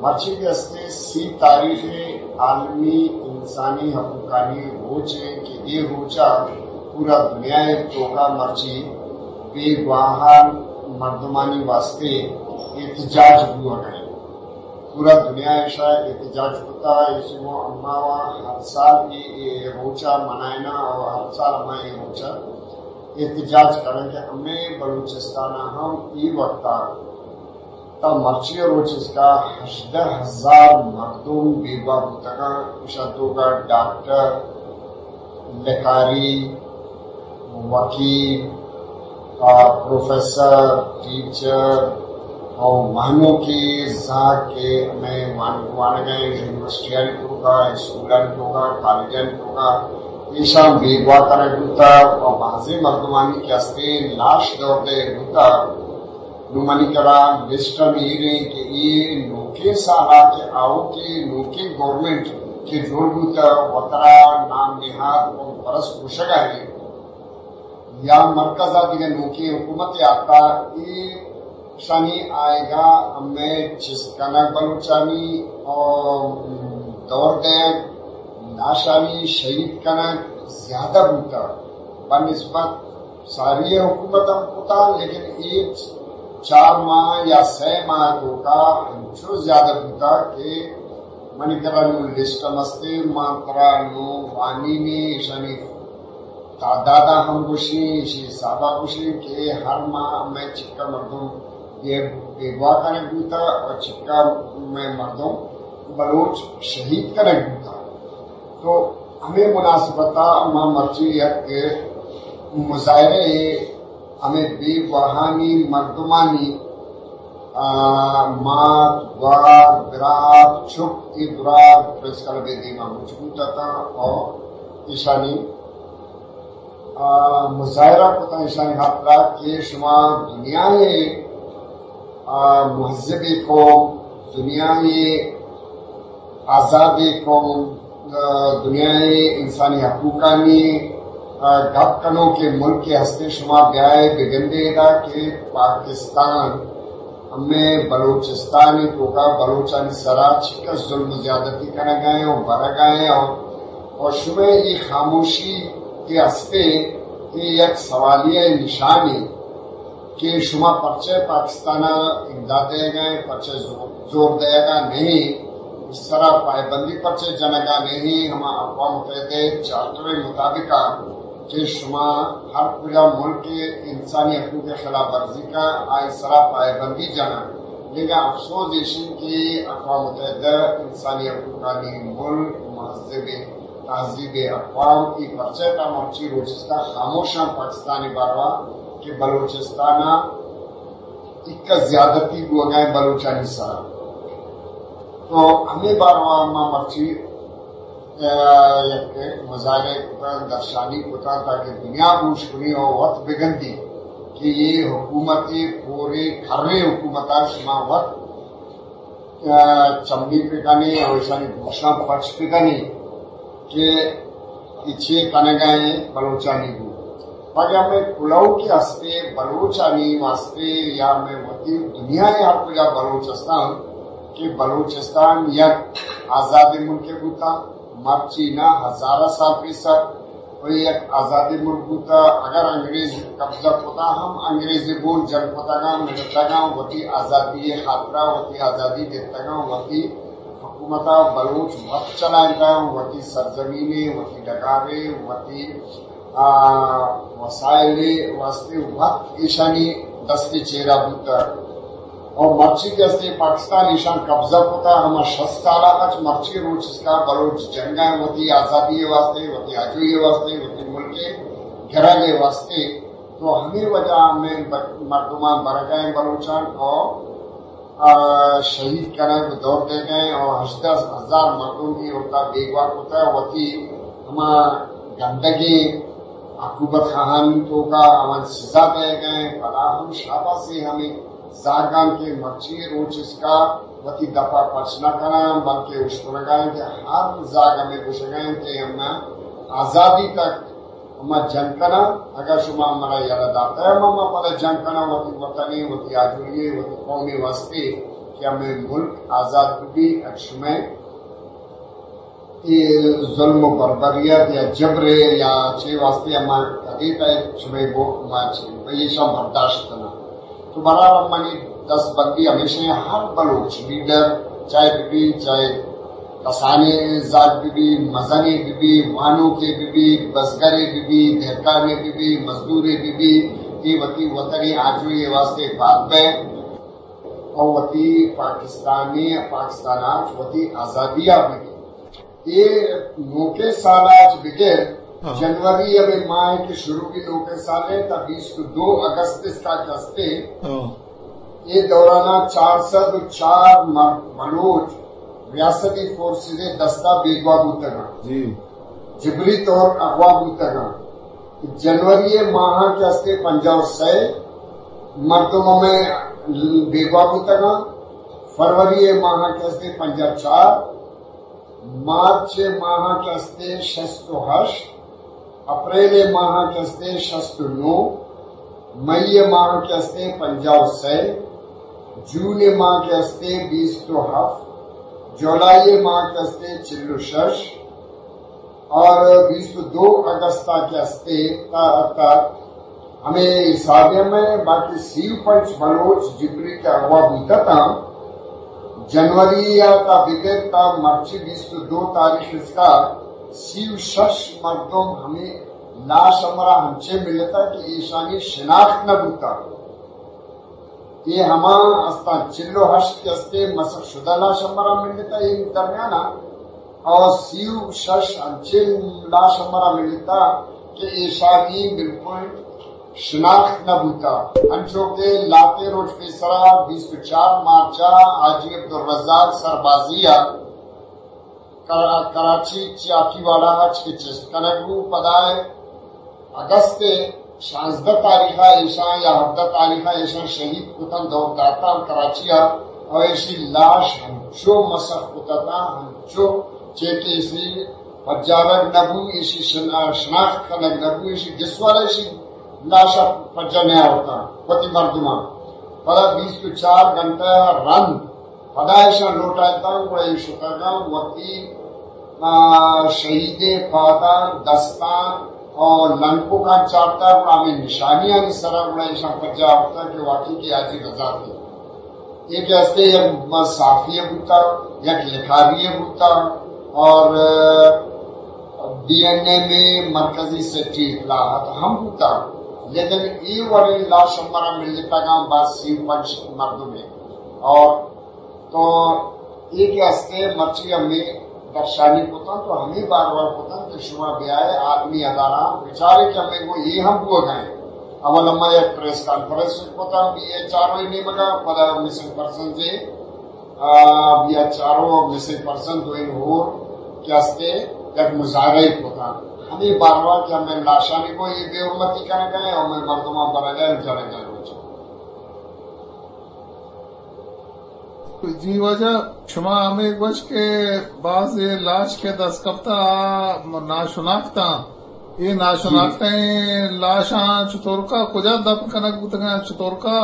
مرچی کہ ہستے سی تاریخ عالمی انسانی حقوقانی روچ ایں کہ اے روچا پورا دنیا ءِ توکا مرچی بیگواہان مردمانی واسطے احتجاج بوگ ءَ ایں۔ پورا دنیا ءَ ایشا احتجاج کتا، ایشی مو اماوا ہر سال اے، اے روچا منائنا اور ہر سال ہما اے روچا احتجاج کنن کہ ہمیں بلوچستان ہم اے وقتا تا مرچی روچ اسکا ہژدہ ہزار مردم بیگواہ بوتگاں، ایشاں توکا ڈاکٹر، لکاری، وکیل، آ، پروفیسر، ٹیچر، اور وانوکے زاگ کہ ہمیں وان-، وانگیں یونیورسٹیانی توکا، اسکولانی توکا، کالجانی توکا، ایشاں بیگواہ کنگ بوتا اور بعضی مردمانی کہ ہستے لاش دور دے بوتا۔ نوں منی کرا لسٹ ہم ایر ایں کہ اے نوکیں سالا کہ آؤکیں نوکیں گورنمنٹ کہ جوڑ بوتا وترا نام نہاد قوم پرست گوشگا ایں یا مرکز ءَ دگہ نوکیں حکومت آتا، ایشانی آئیگا ہمیں چست کنگ بلوچانی اور دور دے ناشانی شہید کنگ زیادہ بوتا بہ نسبت ساری حکومت ہم کتا، لیکن اے چار ماہ یا سہ ماہ توکا انچو زیادہ بوتا کہ منی کرا نوں لسٹ ہم ہستے، ما ترا نوں وانینی، ایشانی تعداد ہم گوشیں، ایشی حسابا گوشیں کہ ہر ماہ ہمیں چکا مردم بے-، بیگواہ کنگ بوتا اور چکا میں مردم بلوچ شہید کنگ بوتا۔ تو ہمیں مناسبتا ما مرچی یک مظاہرے ہمیں بیگواہانی مردمانی، آ، مات، گوار، برات، چک، اے درا پریس کلب ءِ دیما مچ بوت اتاں اور ایشانی، آ، مظاہرہ کتاں ایشانی خاطرا کہ شما دنیا ءِ، آ، مہذبیں قوم، دنیا ءِ آزادیں قوم، آ، دنیا ءِ انسانی حقوقانی، آ، گپ کنوکیں ملکے ہستے، شما بیائے بگندے ادا کہ پاکستان ہمے بلوچستانی توکا بلوچانی سرا چکس ظلم و زیادتی کنگا ایں اور برگا ایں اور، اور شمئے اے خاموشی کہ ہستے اے یک سوالیہ نشانے کہ شما پرچہ پاکستان ءَ امداد دئیگا ایں، پرچہ زور، زور دئیگا نہیں، اس طرح پائبندی پرچہ جنگا نہیں، ہما اقوام متحدہ چارٹر مطابق کہ شما ہر کجا ملک انسانی حقوق خلاف ورزی کا آئی سرا پائبندی جنگ، لیکن افسوس ایشی کہ اقوام متحدہ انسانی حقوقانی ملک مہذب تہذیب اقوام ای پرچہ تا مرچی روچ استا خاموشاں پاکستانی باروا کہ بلوچستان ءَ ایک زیادتی بوگا ایں بلوچانی سرا۔ تو ہمیں باروا ما مرچی، آ، یک مظاہرے کتاں، درشانی کتاں تاکہ دنیا گوش کنی اور وت بگندی کہ یہ حکومت پورے کھرے حکومت شما وت چمّی بکنیں اور ایشانی گوشاں پچ بکنیں کہ اے چے کنگا ایں بلوچانی گوں۔ پدا ہمے کلہو کہ ہستے بلوچانی واسطے یا ہمے وتی دنیا ءَ ہر کجا بلوچ ہستاں کہ بلوچستان یک آزادیں ملکے بوتا، مرچی نہ ہزارہ سال پیسر و یک آزادیں ملک بوتا، اگر انگریز قبضہ کتا ہم انگریزی گوں جنگ کتگاں، مرتگاں، وتی آزادی خاطرا وتی آزادی دیتگاں، وتی حکومتا بلوچ وت چلائینتگاں، وتی سرزمینے، وتی ڈگارے، وتی، آ، وسائلے واسطے وت ایشانی دستے چیرا بوتا۔ اور مرچی کہ ہستے پاکستان ایشان قبضہ کتا، ہما شست سالا اچ مرچی روچ اسکا بلوچ جنگا ایں وتی آزادی واسطے، وتی آجوئی واسطے، وتی ملک گرگ واسطے۔ تو ہمیں وجہ میں ب-، مردمان برگا ایں بلوچان اور، آ، شہید کنگ دور دئیگا ایں اور ہژدہ ہزار مردم ای وقتا بیگواہ کتا وتی ہما گندگیں عقوبت خواہانی توکا ہمن سزا دئیگا ایں، پدا ہم شاباسی ہمیں زاگان کہ مرچی روچ اسکا وتی دپا پچ نہ کناں، بلکہ اشکنگا ایں کہ ہر زاگ ہمیں گوشگا ایں کہ ہمیں آزادی تک ہما جنگ کناں، اگر شما منا یلہ داتا ہے، ہما ما پدا جنگ کناں وتی وطنی، وتی آجوئی، وتی قومی واسطے۔ کہ ہمے ملک آزاد بہ بی، اگہ شمئے اے ظلم و بربریت یا جبر یا چے واسطے ہما کدیت ء شمئے بو-، ما چے، ما ایشاں برداشت کناں۔ تو بہرحال منی دست بندی ہمیشہ ہیں، ہر بلوچ لیڈر، چاہے بہ بی، چاہے کسانیں زاگ بہ بی، مزنے بہ بی، وانوکے بہ بی، بزگرے بہ بی، دہکانے بہ بی، مزدورے بہ بی، اے وتی وطن ء آجوئی ء واسطے پاد بئے۔ او وتی پاکستانی، پاکستان آج وتی آزادی آ بگی۔ اے نوکیں سال آج بگر، ہاں۔ جنوری ء ماہ کہ شروع بی نوکیں سال ء تا بیست و دو اگست اس کا کستے۔ ہاں۔ اے دوران چار سد و چار مر-، بلوچ ریاستی فورسز دستا بیگواہ بوتگاں۔ جی۔ جبری طور اغوا بوتگاں۔ جنوری ماہ کہ استے پنجاہ و سئے مردم ہمیں بیگواہ بوتگاں، فروری ماہ کہ استے پنجاہ و چار، مارچ ماہ کہ استے شست و ہشت، اپریل ماہ کہ استے شست و نو، مئی ماہ کہ استے پنجاہ و سئے، جون ماہ کہ استے بیست و ہفت، جولائی ماہ کہ استے چل و شش، اور بیست و دو اگست ء کہ استے تا، تا ہمیں حساب میں باقی سی و پنچ بلوچ جبری کہ اغوا بوتا تا جنوری یا تا بگر تا مرچی بیست و دو تاریخ اس کا سی و شش مردم ہمیں لاش ہمرا ہمچے ملتا کہ ایشانی شناخت نہ بوتا۔ اے ہما استاں چل و ہشت کہ استے مسخ شدہ لاش ہمرا ملتا اے درمیانا، اور سی و شش انچیں لاش ہمرا ملتا کہ ایشانی بالکل شناخت نہ بوتا۔ انچو کہ لاتیں روچ پیسرا بیست و چار مارچا حاجی عبدالرزاق سربازی ء کرا-، کراچی چاکی واڑا اچ کہ چست کنگ بو، پدا اگست شانزدہ تاریخ ء ایشاں یا ہبدہ تاریخ ء ایشاں شہید کتن دور داتاں کراچی ء، اور ایشی لاش ہمچو مسخ کتتاں، ہمچو چے کہ ایشی پجارگ نہ بو، ایشی شنا-، شناخت کنگ نہ بو، ایشی گس والا ایشی لاش ء پجا نیاورتاں وتی مردماں۔ پدا بیست و چار گھنٹہ ء رند پدا ایشاں لوٹائینتاں، گڑا اے شتگاں وتی، آ، شہیدیں پاداں، دستاں اور لنکوکاں چارتا، گڑا ہمیں نشانیانی سرا گڑا ایشاں پجا آورتا کہ واقعی کہ حاجی رضا تھے۔ اے کہ ہستے یک صحافی بوتا، یک لکھاری بوتا اور، آ، بی این اے میں مرکزی سیکرٹری اطلاعات ہم بوتا، لیکن اے وڑیں لاش ہمارا ملتگاں باز سی و پنچ مردم ہے اور تو اے کہ ہستے مرچی ہمیں درشانی کتن تو ہمیں بار بار کتن کہ شما بیائے عالمی ادارہ بچارے کہ ہمیں وہ یہ ہم بوگا ہیں۔ اول ہما یک پریس کانفرنس کتن بی ایچ آر او نیمگا، پدا مسنگ پرسنز، آ، بی ایچ آر او مسنگ پرسن دوئیں ہور کہ ہستے یک مظاہرہ کتن۔ ہمیں بار بار کہ ہمیں لاشانی کو یہ بے حرمتی کنگا ہیں، ہمیں مردمان برگا ہیں، جنگا ہیں۔ جی واجہ، شما ہمے گوش کہ باز اے لاش کہ دست کپتا آ ناشناختاں، اے ناشناختیں لاشاں چطورکا کجا دفن کنگ بوتگاں، چطورکا،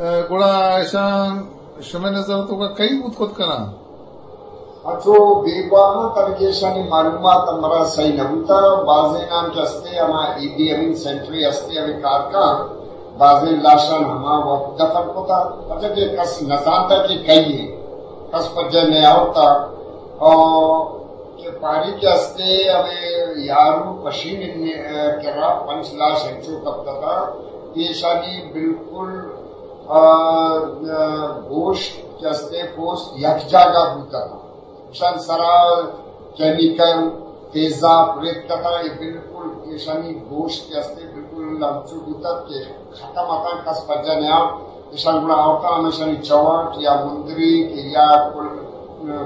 اے، گڑا ایشاں شمئے نظر توکا کئی بوت کت کناں؟ اچو بیگواہاں تنکہ ایشانی معلومات ہمرا صحیح نہ بوتا۔ بازینان کہ ہستے ہما ایدی امین سینٹری ہستے ہمیں کارکاں، بازیں لاشان ہما وقت دفن کتا، پرچہ کہ کس نزانتا کہ کئی ہے، کس پجہ نیاورتا۔ اور کہ پاری کہ ہستے ہمیں یارو پشین کرا پنچ لاش انچو کپتتا، ایشانی بالکل، آ، آ، گوشت کہ ہستے پوست یک جاگہ بوتا۔ ایشان سرا کیمیکل تیزاب ریتکتاں، اے بالکل ایشانی گوشت کہ ہستے بالکل ہمچو بوتگ کہ ختم اتاں، کس پجا نیاورت۔ ایشان گڑا آورتاں ہمیشانی چوٹ یا مندریک یا کل-،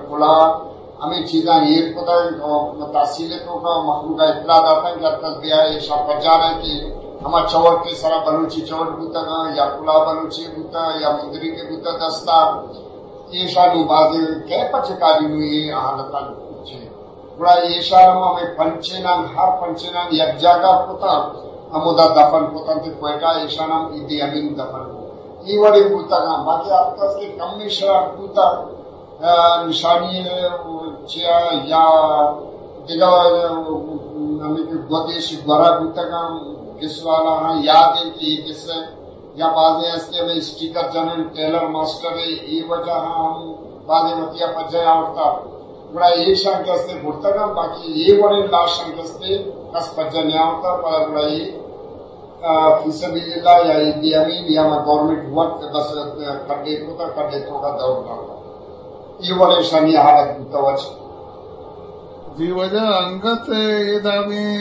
کلا ہمیں چیزاں ایر کتگ اور تحصیل توکا مخلوق اطلاع داتاں کہ ہر کس بیائے ایشان پجا رہے کہ ہما چوٹ کے سرا بلوچی چوٹ بوتگاں یا کلا بلوچی بوتا یا مندریک بوتا دستا۔ ایشانو بازیں کئے پچکاری نو اے حالتاں چے۔ گڑا ایشان ہم ہمیں پنچینان، ہر پنچینان یک جاگہ کتاں، ہمودا دفن کتاں تے کوئٹہ ایشان ہم ایدی امین دفن کو۔ اے وڑیں بوتگاں، باقی ہر کس کہ کمیں شرار بوتگ، آ، نشانی چیا یا دگہ، آ، ہمیں کہ گودیش گورا بوتگاں، گس والا ہاں یاد انت کہ اے گس یا بازیں ہستے ہمیں اسٹیکر جنن، ٹیلر ماسٹر اے، اے وجہ ہاں ہم بازیں وتیا پجہ آورتا۔ گڑا ایشاں کہ ہستے برتگاں، باقی اے وڑیں لاشاں کہ ہستے کس پجہ نیاورتا، پدا گڑا اے آ، فی سبیل اللہ یا اے بی امین یا ما گورنمنٹ وقت بس، آ، کڈے کتا، کڈے توکا دور داتا۔ اے وڑیں شانی حالت بوتا وچ۔ جی واجہ انگت اے دابیں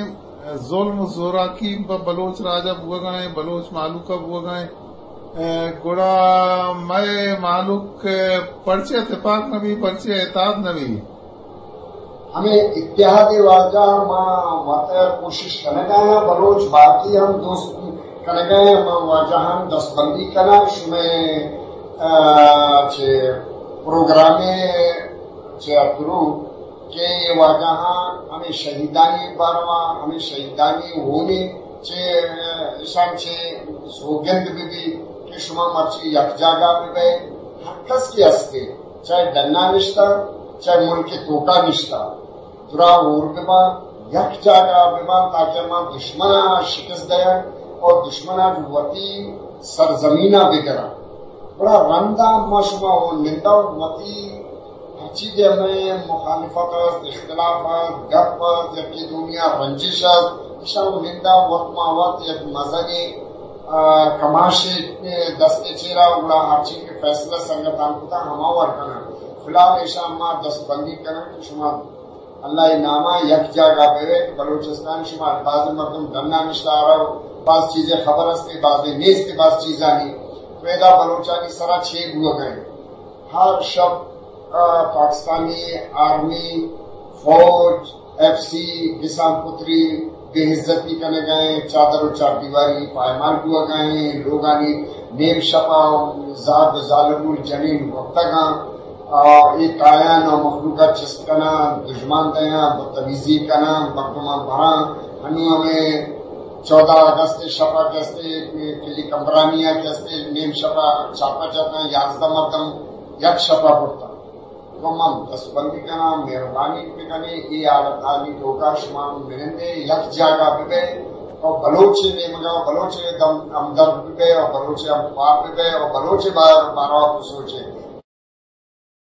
ظلم و زوراکی پہ بلوچ راجا بوگا ایں، بلوچ مہلوکا بوگا ایں۔ اے، گڑا مئے مہلوک پرچے تپاک نبی، پرچے اتحاد نبی؟ ہمے اتحادی واجہ ما وت کوشش کنگا ایں، بلوچ باقی ہم دوست کنگا ایں، ما واجہاں دستبندی کناں، شمئے، آ، چہ پروگرامے چہ تھرو کہ اے واجہاں ہمے شہیدانی باروا، ہمے شہیدانی ہونے چہ، آ، اشان چہ سوگند بہ بی کہ شما مرچی یک جاگہ بہ بئے، ہر کس کہ ہستے، چاہے ڈنا نشتہ، چاہے ملک توکا نشتہ، درا ہور بباں، یک جاگہ بباں، تاکہ ما دشمنا شکست دیاں اور دشمنا جو وتی سرزمینا بگراں۔ گڑا رندا ما شما ہون نندا وتی ہرچی کہ ہمیں مخالفت است، اختلاف است، گپ است، یکی دومیا رنجش است، اشاں نندا وت ما وت یک مزنیں، آ، کماشے دستے چیرا، گڑا ہرچی کہ فیصلہ سنگتان کتا ہما وڑ کناں۔ فی الحال ایشاں ما دست بندی کناں کہ شما اللہ ءِ ناما یک جاگہ بہ بئے، بلوچستان شما باز مردم ڈنا نشتہ آرا، باز چیزے خبر است، باز نیست، باز چیزانی پیدا بلوچانی سرا چے بوگا ایں۔ ہر شپ، آ، پاکستانی آرمی، فوج، ایف سی، گسان پتری، بے عزتی کنگا ایں، چادر و چار دیواری پائمال بوگا ایں، لوگانی نیم شپا زاد و زالبول جنین وپتگاں، آ، اے کایان و مخلوقا چست کناں، دژمان دیاں، بدتمیزی کناں، مردماں براں۔ ہنو ہمیں چودہ اگست شپا کہ استے، کلی کمبرانیا کہ استے، نیم شپا چھاپہ جتاں، یازدہ مردم یک شپا برتاں۔ تو من دستبندی کناں، مہربانی بکنیں، اے حالتانی توکا شما منندے یک جاگہ ببئے اور بلوچ نیمگا، بلوچ دم ہمدرد ببئے اور بلوچ ہمخوار ببئے اور بلوچ بار-، باروا بسوچے۔